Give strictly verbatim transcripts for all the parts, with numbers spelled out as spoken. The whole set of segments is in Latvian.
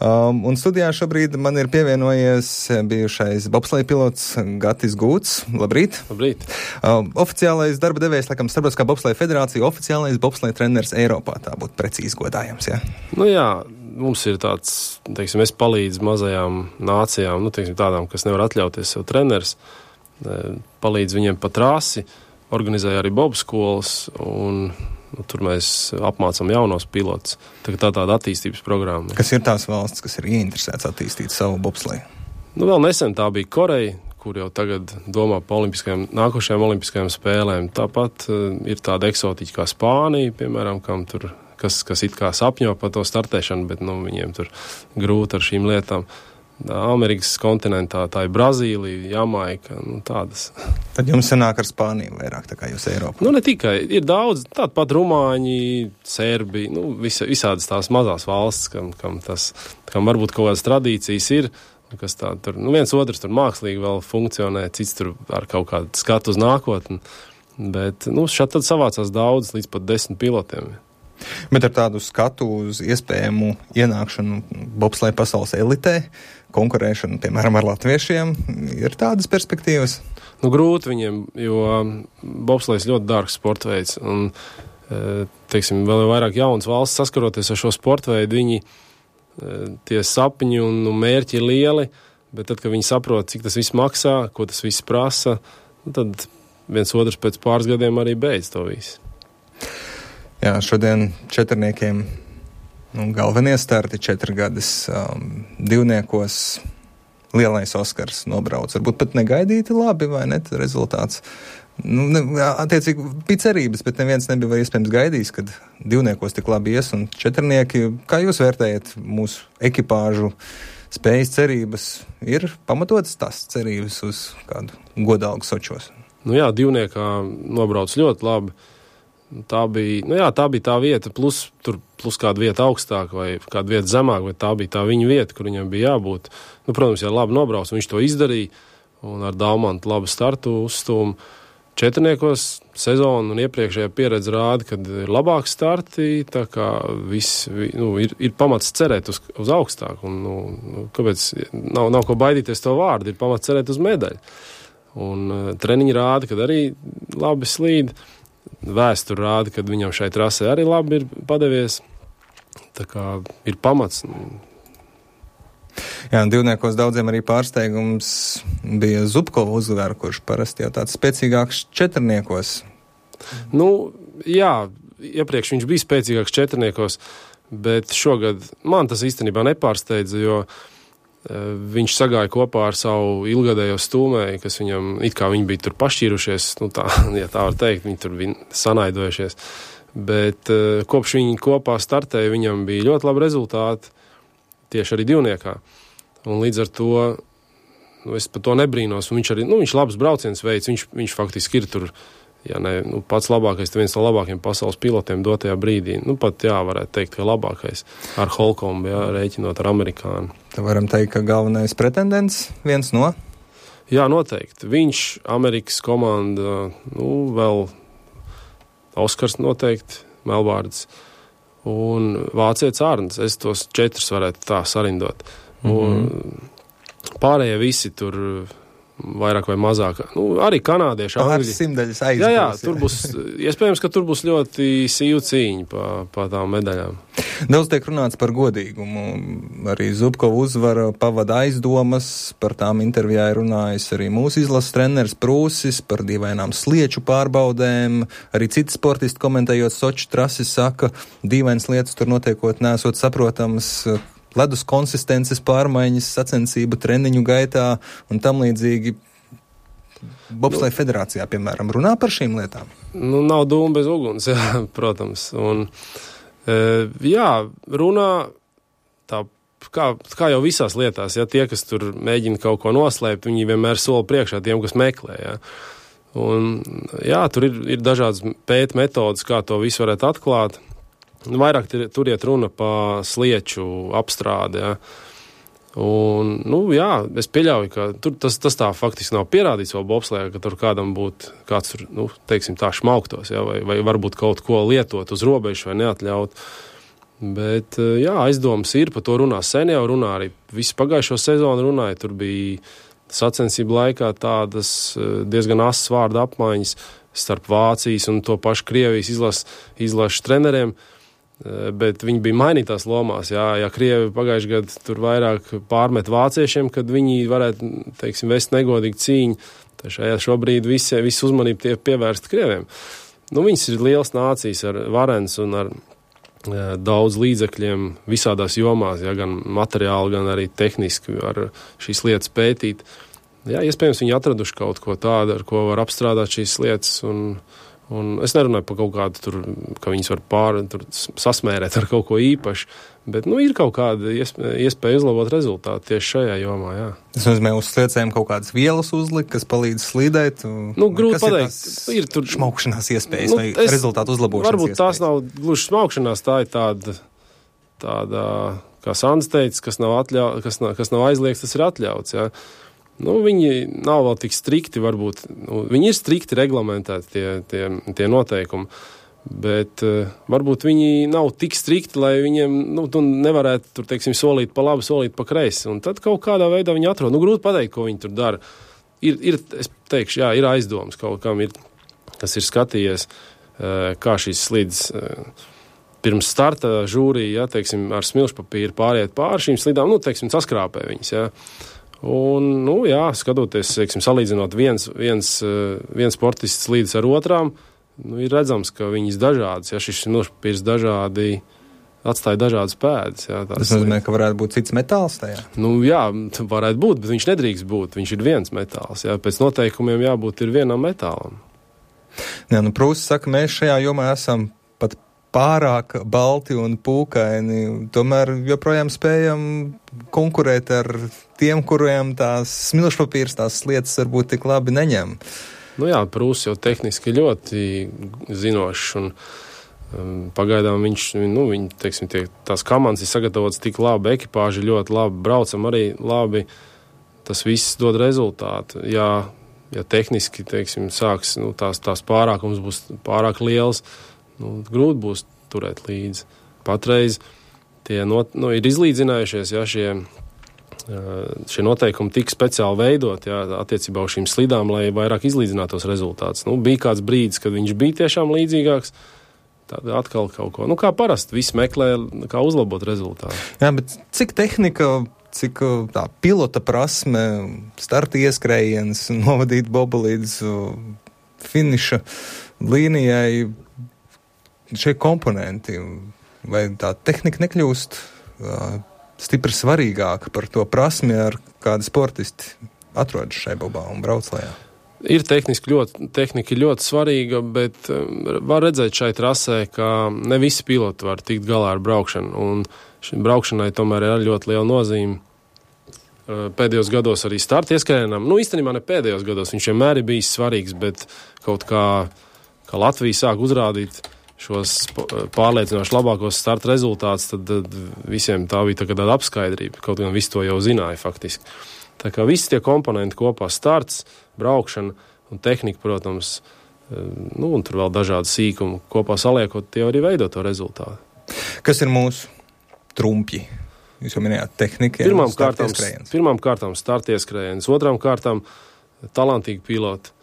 Um, un studijā šobrīd man ir pievienojies bijušais bobsleja pilots Gatis Gūts. Labrīt! Labrīt! Um, oficiālais darba devējs, laikam, Starptautiskā bobsleja federācija, oficiālais bobsleja treneris Eiropā. Tā būtu precīzi godājams, jā? Nu jā, mums ir tāds, teiksim, es palīdzu mazajām nācijām, nu, teiksim, tādām, kas nevar atļauties sev treneris, palīdzu viņiem pa trasi, organizēju arī bobskolas, un nu, tur mēs apmācam jaunos pilotus. Tā, tā tāda attīstības programma. Kas ir tās valsts, kas ir ieinteresēts attīstīt savu bobsleju? Nu, vēl nesen tā bija Koreja, kur jau tagad domā par olimpiskajām, nākošajām olimpiskajām spēlēm. Tāpat uh, ir tāda eksotiķa kā Spānija, piemēram, kam tur, kas, kas it kā sapņo par to startēšanu, bet nu, viņiem tur grūti ar šīm lietām. Amerikas kontinentā, tā ir Brazīlija, Jamaika, nu tādas. Tad jums sanāk ar Spāniju vairāk, tā kā jūs Eiropā? Nu, ne tikai. Ir daudz, tāda pat Rumāņi, Serbi, nu, visa, visādas tās mazās valsts, kam, kam tas, kam varbūt kaut kādas tradīcijas ir, kas tā tur, nu, viens otrs tur mākslīgi vēl funkcionē, cits tur ar kaut kādu skatu uz nākotni, bet, nu, šeit tad savācās daudz, līdz pat desmit pilotiem. Bet ar tādu skatu uz iespējamu ienākšanu bobsleja pasaules elitē, konkurēšanu, piemēram, ar latviešiem, ir tādas perspektīvas? Nu, grūti viņiem, jo bobslejs ļoti dārgs sportveids, un, teiksim, vēl vairāk jaunas valsts saskaroties ar šo sportveidu, viņi tie sapņi un, un mērķi ir lieli, bet tad, kad viņi saprot, cik tas viss maksā, ko tas viss prasa, tad viens otrs pēc pāris gadiem arī beidz to visu. Jā, šodien četrniekiem nu, galvenie starti četrgades um, divniekos lielais Oskars nobrauc. Varbūt pat negaidīti labi, vai ne, rezultāts. Nu, ne, attiecīgi bija cerības, bet neviens nebija iespējams gaidījis, kad divniekos tik labi ies un četrnieki. Kā jūs vērtējat mūsu ekipāžu spējas cerības? Ir pamatotas tās cerības uz kādu godalgu Sočos? Nu jā, divniekā nobrauc ļoti labi. Tā bija, nu jā, tā bija tā vieta, plus, tur, plus kāda vieta augstāk vai kāda vieta zemāk, vai tā bija tā viņa vieta, kur viņam bija jābūt. Nu, protams, ja labi nobrauc, viņš to izdarīja, un ar Daumantu labu startu uzstūmu. Četrniekos sezonu un iepriekšējā pieredze rāda, kad ir labāk starti, tā kā viss, nu, ir, ir pamats cerēt uz, uz augstāku, un, nu, kāpēc, nav, nav ko baidīties to vārdu, ir pamats cerēt uz medaļu. Un uh, treniņi rāda, kad arī labi slīd. Vēsture rāda, ka viņam šai trasē arī labi ir padevies. Tā kā ir pamats. Jā, un divniekos daudziem arī pārsteigums bija Zubkova uzvara, kurš parasti jau tāds spēcīgāks četrniekos. Nu, jā, iepriekš viņš bija spēcīgāks četrniekos, bet šogad man tas īstenībā nepārsteidza, jo viņš sagāja kopā ar savu ilgadējo stūmēju, kas viņam, it kā viņi bija tur pašķīrušies, nu tā, ja tā var teikt, viņi tur bija sanaidojušies, bet kopš viņi kopā startēja, viņam bija ļoti labi rezultāti, tieši arī divniekā, un līdz ar to, nu, es par to nebrīnos, un viņš arī, nu, viņš labs brauciens veids, viņš, viņš faktiski ir tur, ja ne, nu, pats labākais, viens no labākajiem pasaules pilotiem dotajā brīdī. Nu, pat, jā, varētu teikt, ka labākais ar Holkombu, jā, rēķinot ar amerikānu. Tad varam teikt, ka galvenais pretendents viens no? Jā, noteikti. Viņš, Amerikas komanda, nu, vēl Oskars noteikti, Melbārds un vācietis Arns. Es tos četrus varētu tā sarindot. Mm-hmm. Un pārējie visi tur vairāk vai mazāk. Nu, arī kanādieši. Pāris simtaļas aizbūs. Jā, jā, tur būs, iespējams, ka tur būs ļoti sīvu cīņa pa, pa tām medaļām. Daudz tiek runāts par godīgumu. Arī Zubkova uzvara pavada aizdomas, par tām intervijā ir runājis arī mūsu izlases treneris Prūsis, par dīvainām slieču pārbaudēm. Arī citi sportisti komentējot Soču trasi saka, dīvainas lietas tur notiekot nesot saprotams, ledus konsistences pārmaiņas, sacensību treniņu gaitā un tam līdzīgi. Bobsleja federācijā, piemēram, runā par šīm lietām? Nu, nav dūma bez uguns, jā, protams. Un, e, jā, runā tā, kā, kā jau visās lietās, ja tie, kas tur mēģina kaut ko noslēpt, viņi vienmēr soli priekšā tiem, kas meklē, jā. Un, jā, tur ir, ir dažādas pēt metodas, kā to visu varētu atklāt. Vairāk tur iet runa pa slieču apstrādi, ja. Un, nu, jā, es pieļauju, ka tur tas, tas tā faktiski nav pierādīts vēl bobslejā, ka tur kādam būtu kāds tur, nu, teiksim tā, šmauktos, ja, vai, vai varbūt kaut ko lietot uz robežu vai neatļaut. Bet, jā, aizdomas ir, par to runā sen jau runā, arī visu pagājušo sezonu runāja, tur bija sacensību laikā tādas diezgan asas vārda apmaiņas starp Vācijas un to pašu Krievijas izlas, izlašu treneriem, bet viņi bija mainītās lomās, jā, ja Krievi pagājuši gadu tur vairāk pārmet vāciešiem, kad viņi varētu, teiksim, vest negodīgu cīņu, tad šajā šobrīd visi, visi uzmanību tie pievērst Krieviem. Nu, viņas ir liels nācijas ar varens un ar daudz līdzekļiem visādās jomās, ja, gan materiāli, gan arī tehniski ar šīs lietas pētīt. Jā, iespējams, viņi atraduši kaut ko tādu, ar ko var apstrādāt šīs lietas, un, un es nerunāju par kaut kādu tur, ka viņas var pār, tur sasmērēt ar kaut ko īpašu, bet, nu, ir kaut kāda iespēja uzlabot rezultātu tieši šajā jomā, jā. Tas nozīmē, uz sliecēm kaut kādas vielas uzlikt, kas palīdz slīdēt? Nu, grūti pateikt. Ir, ir tur šmaukšanās iespējas, nu, vai es, rezultātu uzlabošanas varbūt iespējas? Tās nav gluži šmaukšanās, tā ir tāda, tāda kā Sandis teica, kas nav, atļau, kas nav, kas nav aizliegts, tas ir atļauts, jā. Nu, viņi nav vēl tik strikti, varbūt, nu, viņi ir strikti reglamentēti tie, tie, tie noteikumi, bet uh, varbūt viņi nav tik strikti, lai viņiem, nu, tu nevarētu tur, teiksim, solīt pa labi, solīt pa kreisi, un tad kaut kādā veidā viņi atrod. Nu, grūti pateikt, ko viņi tur dara. Ir, ir, es teikšu, jā, ir aizdomas kaut kam, ir, kas ir skatījies, uh, kā šīs slīdes uh, pirms starta žūrija, jā, teiksim, ar smilšpapīru pāriet pār šīm slīdām, nu, teiksim, saskrāpē viņas, jā. Un, nu, jā, skatoties, teiksim, salīdzinot viens, viens, viens sportists slīdes ar otrām, nu, ir redzams, ka viņas dažādas, ja šis smilšpapīrs dažādi atstāja dažādas pēdas. Jā, tas nozīmē, ka varētu būt cits metāls tajā? Nu, jā, varētu būt, bet viņš nedrīkst būt, viņš ir viens metāls, jā, pēc noteikumiem jābūt ir vienam metālam. Jā, nu, Prūss saka, mēs šajā jomā esam pat pārāk balti un pūkaini, tomēr joprojām spējam konkurēt ar tiem, kuriem tās smilšpapīrs, tās lietas varbūt tik labi neņem. Nu jā, Prūss jau tehniski ļoti zinošs un um, pagaidām viņš, nu, viņi, teiksim, tie, tās komandas ir sagatavotas tik labi, ekipāži ļoti labi, braucam arī labi, tas viss dod rezultātu. Jā, ja tehniski, teiksim, sāks, nu, tās, tās pārākums būs pārāk liels, nu, grūti būs turēt līdzi. Patreiz tie not, nu, ir izlīdzinājušies, ja šie, šie noteikumi tik speciāli veidot, ja, attiecībā uz šīm slidām, lai vairāk izlīdzinātos rezultātus. Nu, bija kāds brīdis, kad viņš bija tiešām līdzīgāks, tad atkal kaut ko. Nu, kā parasti, visi meklē, kā uzlabot rezultātu. Jā, bet cik tehnika, cik tā pilota prasme, starta ieskrējiens, novadīt bobu līdz finiša līnijai, šie komponenti, vai tā tehnika nekļūst uh, stipri svarīgāka par to prasmi, ar kādi sportisti atrodas šai bobā un brauc lejā? Ir tehniski ļoti, tehnika ļoti svarīga, bet um, var redzēt šai trasē, ka ne visi piloti var tikt galā ar braukšanu, un šim braukšanai tomēr ir ļoti liela nozīme. Uh, pēdējos gados arī starta ieskrējienam, nu īstenībā ne pēdējos gados, viņš vienmēr ir bijis svarīgs, bet kaut kā, kā Latvija sāk uzrādīt šos pārliecinoši labākos starta rezultātus, tad, tad visiem tā bija tā kā tāda apskaidrība, kaut gan visi to jau zināja faktiski. Tā kā visi tie komponenti kopā, starts, braukšana un tehnika, protams, nu, un tur vēl dažādi sīkumi, kopā saliekot, tie arī veido to rezultātu. Kas ir mūsu trumpji? Jūs jau minējāt tehnika, pirmām kārtām, pirmām kārtām starta ieskrējiens, otrām kārtām talantīgi piloti.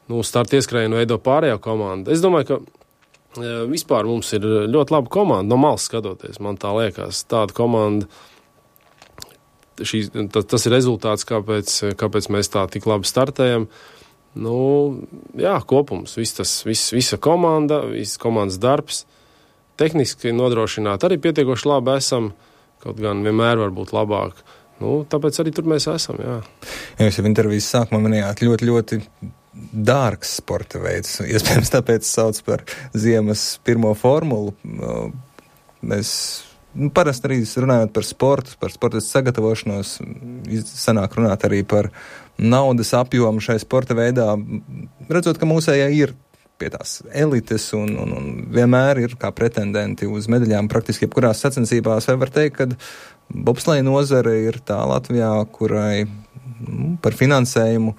Nu, starta ieskrējienu veido pārējā komanda. Es domāju, ka vispār mums ir ļoti laba komanda, no malas skatoties, man tā liekas, tāda komanda, šī, tas, tas ir rezultāts, kāpēc, kāpēc mēs tā tik labi startējam. Nu, jā, kopums, viss tas, viss, visa komanda, viss komandas darbs, tehniski nodrošināt arī pietiekoši labi esam, kaut gan vienmēr var būt labāk. Nu, tāpēc arī tur mēs esam, jā. Ja jūs jau intervijas sākumā minējāt ļoti, ļoti dārgs sporta veids. Iespējams, tāpēc sauc par ziemas pirmo formulu. Mēs nu, parasti arī runājot par sportu, par sportistu sagatavošanos, sanāk runāt arī par naudas apjomu šai sporta veidā, redzot, ka mūsējā ir pie tās elites un, un, un vienmēr ir kā pretendenti uz medaļām praktiski jebkurās sacensībās. Vai var teikt, ka bobsleja nozare ir tā Latvijā, kurai nu, par finansējumu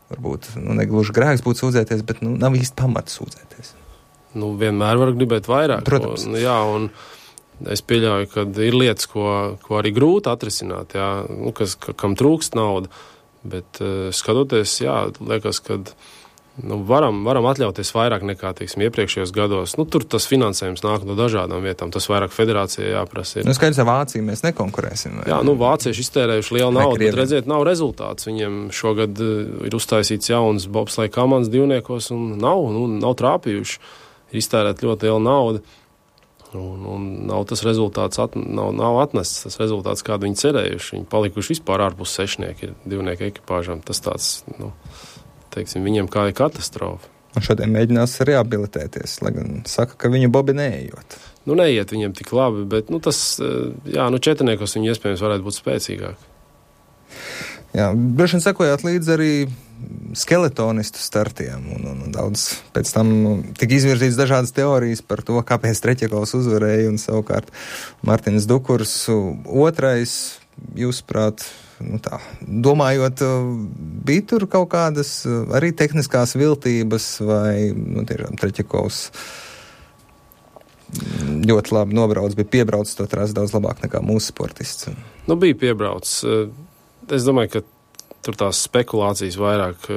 varbūt nu, negluži grēks būtu sūdzēties, bet nu, nav īsti pamata sūdzēties. Nu, vienmēr var gribēt vairāk. Protams. Un, jā, un es pieļauju, ka ir lietas, ko, ko arī grūti atrisināt, jā, nu, kas, kam trūkst nauda, bet uh, skatoties, jā, liekas, ka nu, varam, varam atļauties vairāk nekā, teiksim, iepriekšējos gados. Nu, tur tas finansējums nāk no dažādām vietām, tas vairāk federācijai jāprasa. Nu, skaidrs, ar Vāciju mēs nekonkurēsim. Vai? Jā, nu, vācieši iztērējuši lielu naudu, bet redziet, nav rezultāts. Viņiem šogad ir uztaisīts jauns bobsleja komandas divniekos un nav, nu, nav trāpījuši. Ir iztērēt ļoti liela nauda un, un nav tas rezultāts, at, nav, nav atnests tas rezultāts, kādu viņi cerējuši. Viņi palikuši vispār ārpus sešnieki, divnieku ekipāžām. Tas tāds, nu, teiksim, viņiem kā ir katastrofa. Un šodien mēģinās reabilitēties, lai gan saka, ka viņu bobi neejot. Nu, neiet viņiem tik labi, bet, nu, tas, jā, nu, četrniekos viņi iespējams varētu būt spēcīgāki. Jā, droši vien sekojāt līdz arī skeletonistu startiem, un, un, un daudz pēc tam tika izvirzīts dažādas teorijas par to, kāpēc Treķekovs uzvarēja, un savukārt Martins Dukurs otrais, jūsuprāt, nu tā, domājot, bija tur kaut kādas arī tehniskās viltības, vai, nu, tiešām Treķekovs ļoti labi nobrauc, bija piebraucis to trasi daudz labāk nekā mūsu sportists. Nu, bija piebraucis. Es domāju, ka tur tās spekulācijas vairāk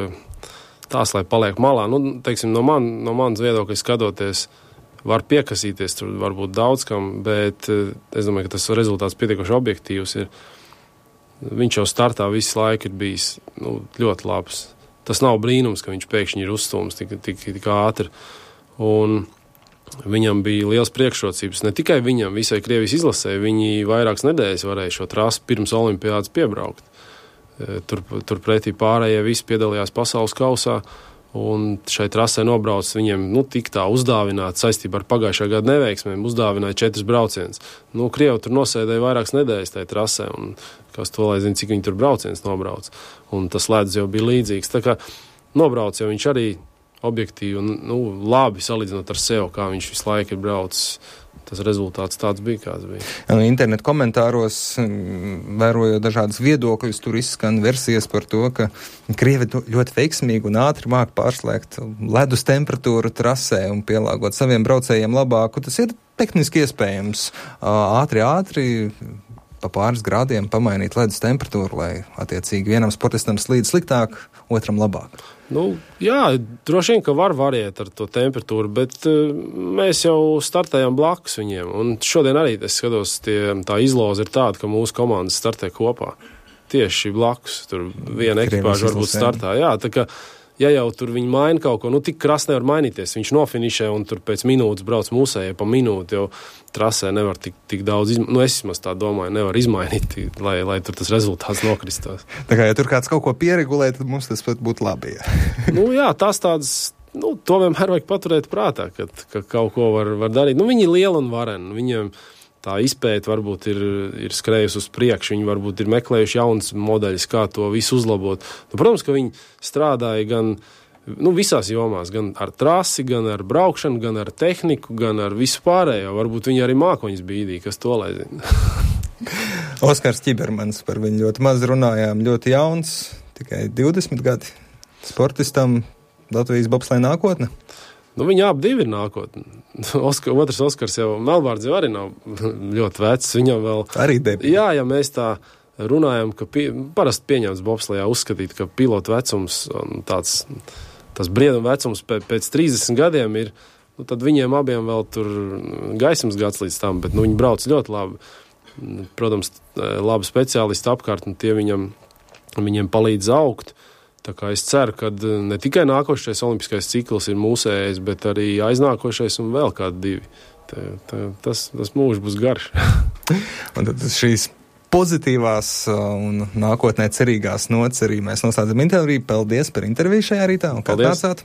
tās, lai paliek malā. Nu, teiksim, no, man, no manas viedokļa skatoties, var piekasīties tur varbūt daudz kam, bet es domāju, ka tas rezultāts pietiekoši objektīvs ir. Viņš jau startā visu laiku ir bijis, nu, ļoti labs. Tas nav brīnums, ka viņš pēkšņi ir uzstūms tik, tik, tik ātri. Un viņam bija liels priekšrocības. Ne tikai viņam, visai Krievijas izlasē, viņi vairākas nedēļas varēja šo trasi pirms olimpiādas piebraukt. Tur, tur pretī pārējie visi piedalījās pasaules kausā, un šai trasē nobrauc viņiem, nu, tik tā uzdāvināt saistībā ar pagājušā gada neveiksmēm, uzdāvināja četras brauciens. Nu, Krievi tur nosēdēja vairākas nedēļas tajā trasē, un kas to lai zina, cik viņi tur brauciens nobrauc. Un tas ledus jau bija līdzīgs. Tā kā nobrauc jau viņš arī objektīvi, nu, labi salīdzinot ar sev, kā viņš visu laiku ir braucis. Tas rezultāts tāds bija, kāds bija. Internetu komentāros, vērojot dažādas viedokļus, tur izskan versijas par to, ka Krievi ļoti veiksmīgi un ātri māk pārslēgt ledus temperatūru trasē un pielāgot saviem braucējiem labāku. Tas ir tehniski iespējams. Ātri, ātri pa pāris grādiem pamainīt ledus temperatūru, lai attiecīgi vienam sportistam slīd sliktāk, otram labāk. Nu, jā, droši vien, ka var variēt ar to temperatūru, bet uh, mēs jau startējam blakus viņiem. Un šodien arī, es skatos, tie, tā izloze ir tāda, ka mūsu komandas startē kopā. Tieši blakus. Tur viena ekipāža varbūt startā. Jā, tā kā, ja jau tur viņi maina kaut ko, nu tik krasi nevar mainīties. Viņš nofinišē un tur pēc minūtes brauc mūsējai pa minūti, jo trasē nevar tik, tik daudz, izma... nu es vismaz tā domāju, nevar izmainīt, lai, lai tur tas rezultāts nokristos. Tā kā, ja tur kāds kaut ko pieregulē, tad mums tas pat būtu labi. Jā. Nu jā, tās tādas, nu to vienmēr vajag paturēt prātā, ka, ka kaut ko var, var darīt. Nu viņi ir lieli un vareni, viņiem tā izpēta varbūt ir, ir skrējusi uz priekšu, viņi varbūt ir meklējuši jaunas modeļus, kā to visu uzlabot. Nu, protams, ka viņi strādāja gan nu, visās jomās, gan ar trasi, gan ar braukšanu, gan ar tehniku, gan ar visu pārējo. Varbūt viņi arī mākoņas bīdīja, kas to lai zina. Oskars Ķibermans, par viņu ļoti maz runājām, ļoti jauns, tikai divdesmit gadi. Sportistam Latvijas bobsleja nākotne? Nu, viņi abi divi ir nākotne. Oskar, otrs Oskars jau, Melbārds jau arī nav ļoti vecs, viņam vēl... Arī debī. Jā, ja mēs tā runājam, ka pie, parasti pieņemts bobslejā uzskatīt, ka pilotu vecums, tāds, tas brieduma vecums pēc, pēc trīsdesmit gadiem ir, nu, tad viņiem abiem vēl tur gaismas gads līdz tam, bet, nu, viņi brauc ļoti labi. Protams, labi speciālisti apkārt, un tie viņam, viņiem palīdz augt. Tā kā es ceru, ka ne tikai nākošais olimpiskais cikls ir mūsējais, bet arī aiznākošais un vēl kādi divi. Tā, tā, tas, tas mūžs būs garš. Un tad šīs pozitīvās un nākotnē cerīgās nots arī mēs noslēdzam interviju. Paldies par interviju šajā rītā un kā nācāt.